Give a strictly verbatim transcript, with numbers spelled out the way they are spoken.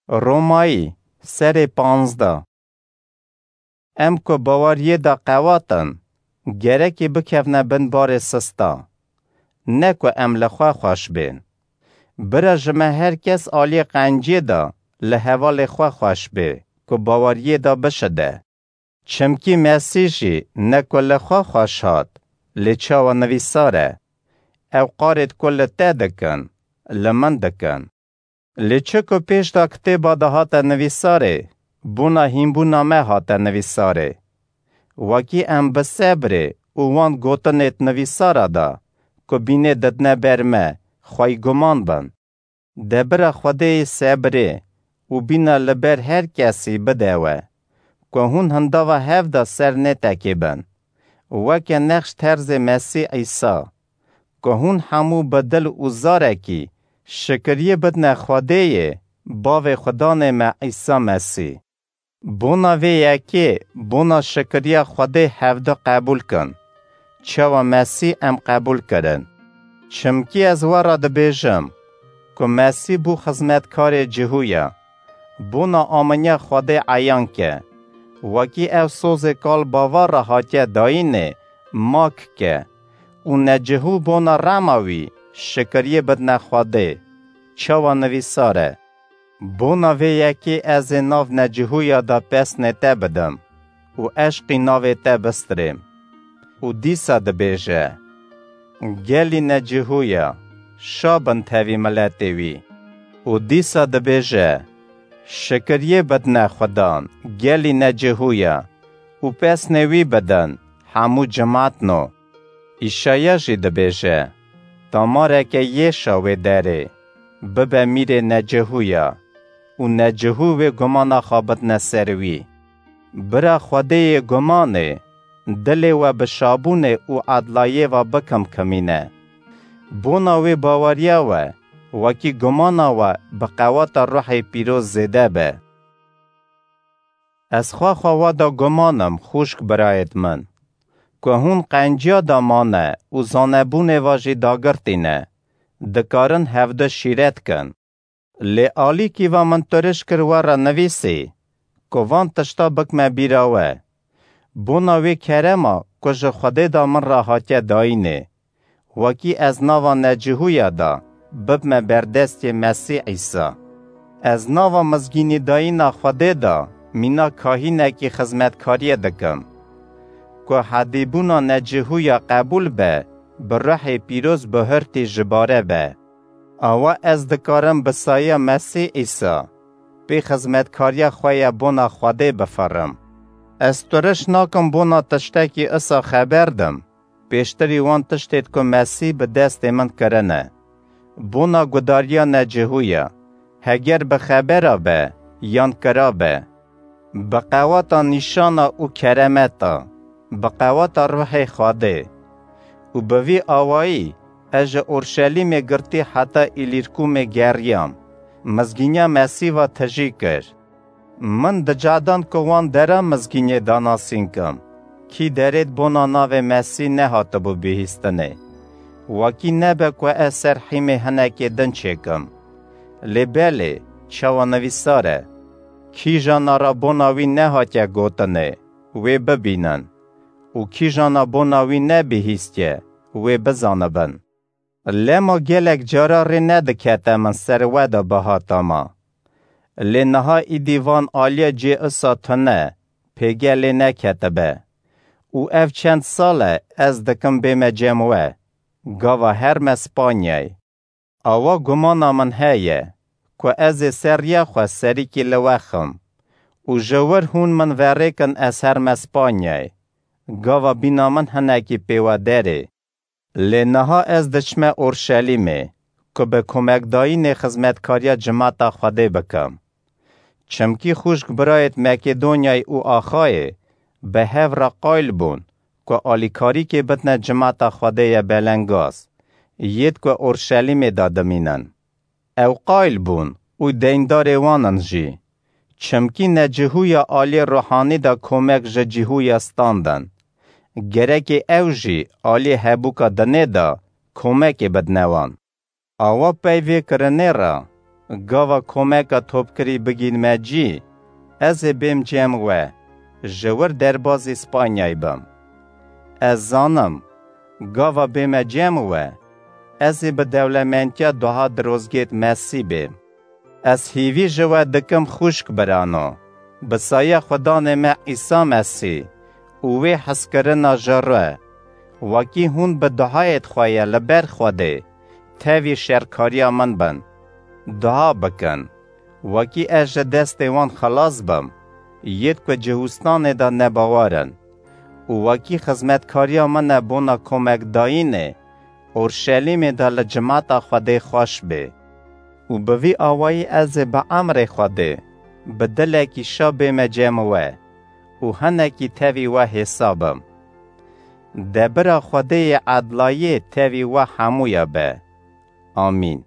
Romayî, serê panzdeh. Em ku baweriyê de qewat in, gerekî bikevne bin barê sista. Ne ku em li xwe xweş bên. Bira ji me her kes aliyê qenciyê de li hevalê xwe xweş bê, ku baweriyê de bişide. Çimkî Mesîh jî ne ku li xwe xweş hat, lê çawa nivîsar e. Ew qarêt ku li te dikin, li min dikin. Lê çi ku pêş de kitêba de hate nivîsarê, bona hînbûna me hate nivîsarê. Wekî em bi sebrê û wan gotinêt nivîsara de, ku bînê didine ber me, xweyî guman bin. De bira Xwedêyê sebrê û bîna li ber her kesî bide we, ku hûn hindava hev de ser nêtekê bin, weke nexş terzê Mesîh Îsa, ku hûn hemû bi dil û zarekî şikiriyê bidine Xwedêyê, Bavê Xudanê me Îsa Mesîh. Bona vê yekê, bona şikiriya Xwedê hevdu qebûl kin, çawa Mesîh em qebûl kirin. Çimkî ez we re dibêjim, ku Mesîh bû xizmetkarê cihûya, bona aminiya Xwedê eyan ke, wekî ew sozê kal bavar re hatiye dayînê, mak ke, û necihû bona rema wî şikiriyê bidine Xwedê, çawa nivîsar e. Bona vê yekê ez ê nav necihûya de pesnê te bidim û eşqî navê te bistirêm. Û dîsa dibêje, Gelî necihûya, şa bin tevî miletê wî. Û dîsa dibêje, Şikiriyê bidine Xudan, gelî necihûya, û pesnê wî bidin, hemû cimatno. Îşaya jî dibêje, Damareke yêşa wê derê, bibe mîrê necihûya û necihû wê gumana xwe bidine ser wî. Bira Xwedêyê gumanê, dilê we bi şabûnê û edlayê ve bikimkimîne. Bona wê baweriya we, wekî gumana we bi qewata Ruhê Pîroz zêde be. Ez xwexa we de guman im, xûşk birayêt min, ku hûn qenciya de mane û zanebûnê ve jî dagirtî ne, dikarin hevdu şîret kin. Lê alîkî ve min tiriş kir we re nivîsî, ku van tişta bikme bîra we. Bona wê kerema ku ji Xwedê de min re hatiye dayînê, wekî ez nava necihûya de bibme berdestê Mesîh Îsa. Ez nava mizgînîdayîna Xwedê de mîna kahînekî xizmetkariyê dikim, ku hedîbûna necihûya qebûl be, bi Ruhê Pîroz bihurtî ji bare be. Awa ez dikarim bi saya Mesîh Îsa pê xizmetkariya xwe ya bona Xwedê bifirim. Ez tiriş nakim bona tiştekî isa xeber dim, pêştirî wan tiştêt ku Mesîh bi destê min kirine. Bona gudariya necihûya, heger bi xebera be yan kira be, bi qewata nîşana û keremeta, bi qewata Ruhê Xwedê. Û bi vî awayî ez ji Orşelîmê girtî heta Îlîrkûmê geriyam, mizgîniya Mesîh ve tijî kir. Min dicadan ku wan dera mizgîniyê danasîn kim, kî derêt bona navê Mesîh nehatibû bihîstinê. Wekî nebe ku ez ser hîmê hinekê din çêkim. Lê belê, çawa nivîsar e, Kîjana re bona wî nehatiye gotinê, wê bibînin, û kîjana bona wî nebihîstiye, wê bizanibin. Lema gelek cara rê nedikete min ser we de bihatama. Lê niha îdî van aliya cê isa tune, pêge lê neketibe. Û ev çend sal e ez dikim bême cem we, gava herme Spanyayê. Awa gumana min heye, ku ez ê ser riya xwe serîkî li we xim û ji wir hûn min verêkin ez herme Spanyayê, gava bîna min hinekî pê we derê. Lê niha ez diçime Orşelîmê, ku bi komekdayînê xizmetkariya cimata Xwedê bikim. Çimkî xûşk birayêt Makedonyayê û Axayê bi hev re qayil bûn, ku alîkarîkê bidine cimata Xwedê ye belengaz, yêt ku Orşelîmê de dimînin. Ew qayil bûn û deyndarê wan in jî. Çimkî necihûya aliyê ruhanî de komek ji cihûya standin. Gerekê ew jî aliyê hebûka dinê de komekê bidine wan. Awa pey vê kirinê re, Gava komeka topkirî bigînme cî, ez ê bêm cem we, ji wir derbazî Spanyayê bim. Ez zanim, gava bême cem we, ez ê bi dewlementiya duha dirozgêt Mesî bêm. Ez hîvî ji we dikim xwişk birano, bi saya Xudanê me Îsa Mesî û wê hezkirina ji re, wekî hûn bi duhayêd xwe ye li ber Xwedê, tevî şerkariya min bin. Duha bikin, wekî ez ji destê wan xelas bim, yêd ku Cihûstanê de nebawer in. Û wekî xizmetkariya min e bona komekdayînê, Orşelîmê de li cimata Xwedê xweş bê. Û bi vî awayî ez ê bi emrê Xwedê, bi dilekî şa bême cem we û hinekî tevî we hêsa bim. Debira Xwedê yê edlayê tevî we hemûya be. Amîn.